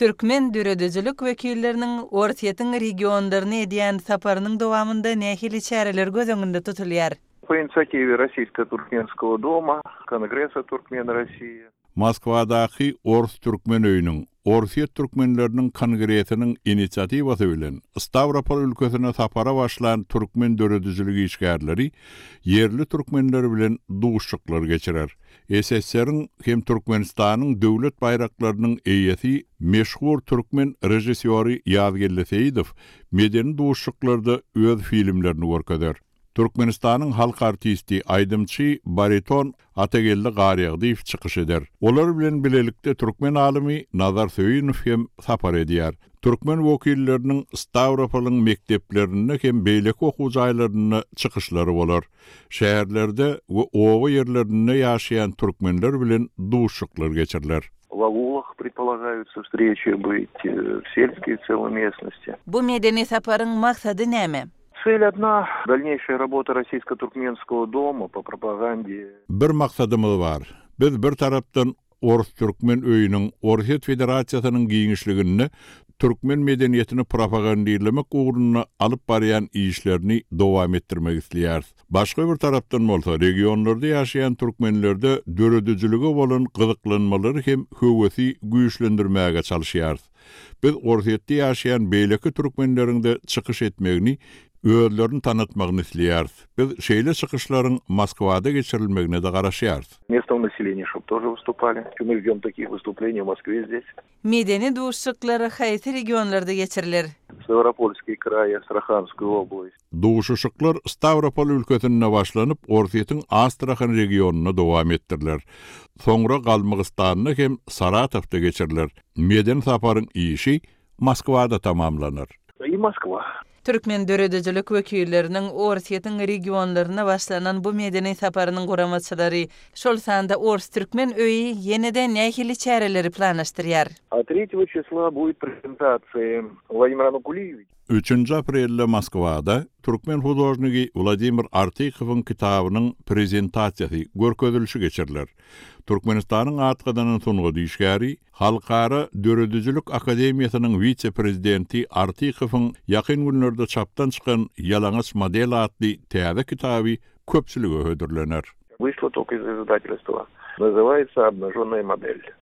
Türkmen döredüzülük vekillerinin Ortiýetiň regionlaryna edýän saparynyň dowamında nähili çäreler göz öňünde tutulýar. По инициативе Российско-Туркменского дома, Конгресса Туркмен России. Moskvadaky Ors Türkmen öýüniň Ortiýet türkmenleriniň kongresiniň inisiativasy bilen Stavropol ülkesine sapara başlayan türkmen döredüzüligi işgärleri yerli türkmenler bilen duşşuklar geçirer. SSR-iň hem Türkmenistanyň döwlet bayraklarynyň eýesi meşhur türkmen rejissöri Ýazgelle Seýidow medeni duşşuklarda öz filmlerini görkezler. Türkmenistanyň halk artisti aýdymçy bariton Atagelle Garyagdyýew çykyş eder. Olar bilen bilelikde türkmen alimi Nazar Söýünow hem sapar edýär. Türkmen wekilleriniň Stavropol'yň mekdeplerine hem beýlek okuw jaýlaryna çykyşlary bolar. Şäherlerde we owa ýerlerinde ýaşaýan türkmenler bilen duşşuklar geçirirler. В аулах предполагаются встречи быть, в сельской целой местности. Bu medeni saparyň maksady näme? Цель одна – дальнейшая работа Российско-Туркменского дома по пропаганде. Bir maksatymyz bar. Biz bir tarapdan Ors Türkmen öýüniň Ortiýet Federasiýasynyň giňişligini türkmen medeniýetini propagandaýalamak ugruna alyp barýan işlerini dowam etdirmek isleýär. Başga bir tarapdan bolsa regionlarda ýaşaýan türkmenlerde döredüzüligi bolan gyzyklanmalary hem höwesi güýçlendirmäge çalışýar. Biz Ortiýetde ýaşaýan beýleki türkmenleriň de çykyş etmegini özlerini tanıtmagyny isleýär. Biz şeýle çykyşlaryň Moskvada geçirilmegine de garaşýar. Местного населения, чтобы тоже выступали. Мы ждем таких выступлений в Москве здесь. Medeni duşşuklary haýsy regionlarda geçirilir? Ставропольский край, Астраханская область. Duşuşyklar Stavropol ülkesinde başlanyp Ortiýetiň Astrahan regionuna dowam etdirler. Soňra Galmygystanyň hem Saratowda geçirilir. Medeni saparyň işi Moskvada tamamlanır. И Москва. Türkmen döredüzülük wekilleriniň Ortiýetiň regionlaryna başlanan bu medeni saparynyň guramaçylary şol sanda Ors Türkmen öýi ýene-de nähili çäreleri planlaşdyrýar. А 3 числа будет презентация Владимира Нукулиевича. 3 aprelde Moskvada türkmen huzurnygy Vladimir Artikowyň kitabynyň prezentasiýasy görkezilişi geçirilir. Türkmenistanyň atgydynyň sungy işgäri Halkara Döredüzülük Akademiýasynyň vice-prezidenti Artikowyň ýakyn günlerde çapdan çykan Ýalaňaç model adly täze kitaby köpçülige hödürlenir. Вышло только из издательства. Называется «Обнаженная модель».